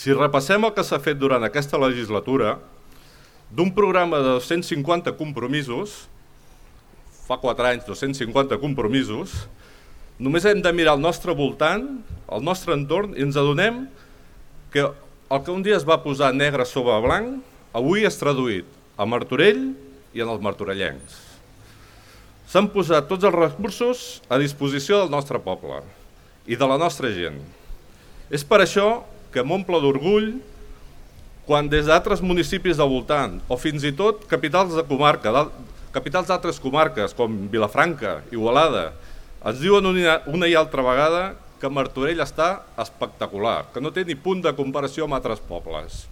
Si repassem el que s'ha fet durant aquesta legislatura, d'un programa de 250 compromisos, fa 4 anys 250 compromisos, només hem de mirar al nostre voltant, al nostre entorn, i ens adonem que el que un dia es va posar negre sobre blanc, avui és traduït a Martorell i en els martorellencs. S'han posat tots els recursos a disposició del nostre poble i de la nostra gent. És per això que m'omple d'orgull quan des d'altres municipis del voltant, o fins i tot capitals de comarca, capitals d'altres comarques com Vilafranca, Igualada, ens diuen una i altra vegada que Martorell està espectacular, que no té ni punt de comparació amb altres pobles.